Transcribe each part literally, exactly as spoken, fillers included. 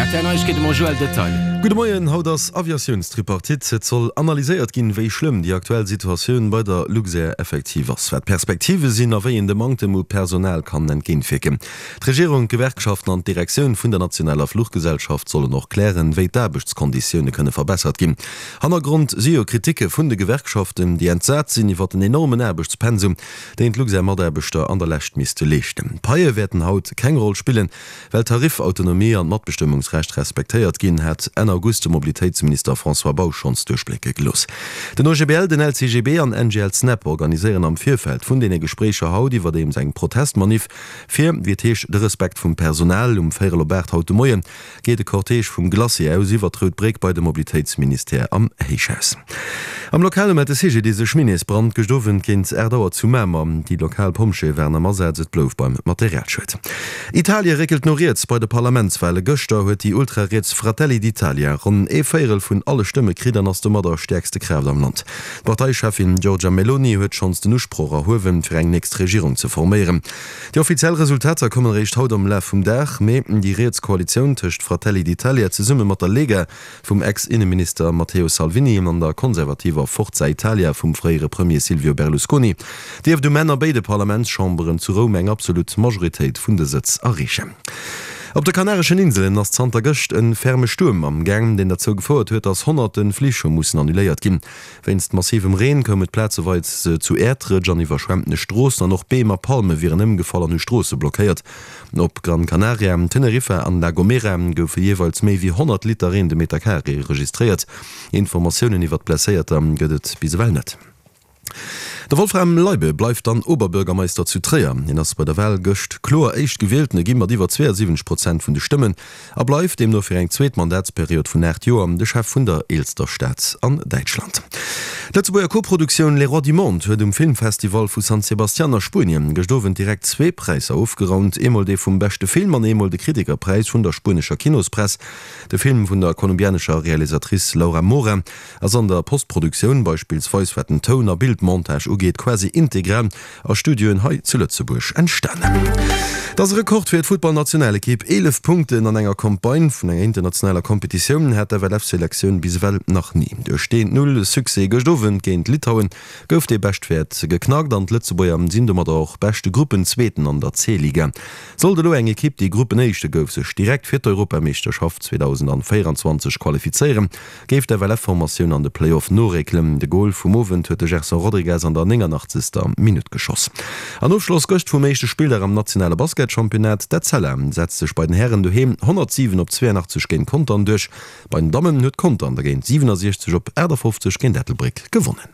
R T L Neiegkeete mam Joël Detail. Gudde Moien, haut ass Aviatiounstripartite. Et soll analyséiert ginn, wéi schlëmm déi aktuell Situatioun bei der Luxair effektiv ass, wat d'Perspektive sinn a wéi een dem Manktem u Personal kann entgéintwierken. D'Regierung, d'Gewerkschaften an d'Direktioun vun der nationaler Fluchgesellschaft sollen och klären, wéi d'Aarbechtskonditioune kënne verbessert ginn. Hannergrond si jo Kriticke vun de Gewerkschaften, déi entsat sinn iwwer den enormen Aarbechtspensum, deen d'Luxair-Mataarbechter an der Lescht misste leeschten. D'Paie wäerten haut keng Roll spillen, well d'Tariffautonomie an d'Matbestëmmungsrecht respektéiert ginn, hat Enn August de Mobilitéitsminister François Bausch schonns duerchblécke gelooss. Den O G B L, den L C G B an N G L-Snep organiséieren am Virfeld vun deene Gespréicher haut iwwerdeems eng Protestmanif fir, wéi et heescht, de Respekt vum Personal. Um véierel op aacht haut de Moie geet de Cortège vum Glacis aus iwwer d'Rout Bréck bei de Mobilitéitsministère am Héichhaus. Am Lokale mellt de C G D I S e Schminneesbrand gëscht Owend géint aacht Auer zu Mamer. Déi lokal Pompjeeë waren am Asaz, et blouf beim Materialschued. Italie réckelt no riets bei de Parlamentswale. Gëschter huet déi ultrariets Fratelli d'Italia ronn ee Véierel vun alle Stëmme kritt an ass domadder stäerkste Kraaft am Land. D'Parteicheffin Giorgia Meloni huet schonns den Usproch erhuewen, fir eng nächst Regierung ze forméieren. Déi offiziell Resultater kommen eréischt haut am Laf vum Dag, mee déi riets Koalitioun tëscht Fratelli d'Italia zesumme mat der Lega vum Ex-Inneminister Matteo Salvini an der konservativer Forza Italia vum fréiere Premier Silvio Berlusconi dierft um Enn a béide Parlamentschamberen zu Roum eng absolut Majoritéit vun de Sëtz erreechen. Op de Kanareschen Inselen ass zanter gëscht e ferme Stuerm am Gaang, deen derzou gefouert huet, datt honnerte Flich hu mussen annuléiert ginn. Wéinst massivem Reen koum et plazeweis zu Äerdrëtsch an iwwerschwemmtene Stroossen an och Beem a Palme wieren ëmgefall an hu Stroosse blockéiert. Op Gran Canaria, Teneriffa an La Gomera goufe jeeweils méi wéi honnert Liter Reen de Meter Carré registréiert. Informatiounen iwwert Blesséierter gëtt et bis ewell net. De Wolfram Leibe bleift dann Oberbürgermeister zu Tréier. Hien ass bei der Wal gëscht kloer Éischtgewieltene gi mat iwwer zweeënsiwwenzeg Prozent vun de Stëmmen a bleift deemno fir eng zweet Mandatsperiod vun aacht Joer de Chef vun der eelster Stad an Däitschland. D'Lëtzebuerger Koproduktioun Les Rois du Monde huet um Filmfestival vu San Sebastian a Spuenien gëscht Owend direkt zwee Präisser ofgeraumt, eemol dee vum beschte Film an eemol de Kritikerpräis vun der spuenescher Kinospress. De Film vun der kolumbianescher Realisatrice Laura Mora ass an der Postproduktioun, beispillsweis wat den Toun a Bildmontage ugeet, quasi integral a Studioen hei zu Lëtzebuerg entstanen. Et ass e Rekord fir d'Futtballnationalekipp, eelef Punkten an enger Campagne vun enger internationaler Kompetitioun hat d'F L F-Selektioun bis ewell nach ni. Duerch deen Null-Succès gëscht Owend géint Litauen gouf dee Beschtwäert geknackt an d'Lëtzebuerger sinn domadder och beschte Gruppenzweeten an der C-Liga. Sollt elo eng Ekipp, déi Gruppenéischte gouf, sech direkt fir d'Europameeschterschaft zweedausendvéierenzwanzeg qualifizéieren, géif d'F L F-Formatioun an de Play-off noréckelen. De Gol vum Owend huet de Gerson Rodrigues an der nénganachtzeger Minutt geschoss. An Ofschloss gëscht vum éischte Spilldag am nationale Basketchampionnat, D'Etzella setzt sech bei den Hären doheem honnertsiwen op zweeënachtzeg géint Contern duerch. Bei den Dammen huet Contern dergéint siwenesechzeg op aachtafofzeg géint Ettelbréck gewonnen.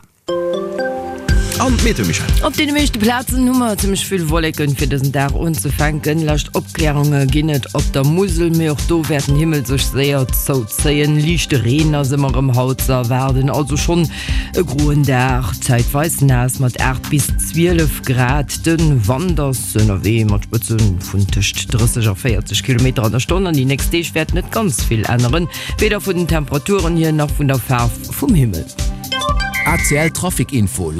An d'Meteo, Michèle. Op deene meeschte Plazen hu mer zimmlech vill Wolleken fir dësen Dag unzefänken. Lescht Opklärunge ginn et op der Musel, mee och do wäert den Himmel sech séier zouzéien. Liichte Reen ass ëmmer erëm haut ze erwaarden, also schonn e groen Dag, zäitweis naass mat aacht bis zwielef Grad. De Wand ass ënnerwee mat Spëtze vun tëscht drësseg a véierzeg Kilometer an der Stonn an déi nächst Deeg wäert net ganz vill änneren, weder vun den Temperaturen hier nach vun der Faarf vum Himmel. A C L Trafic Info.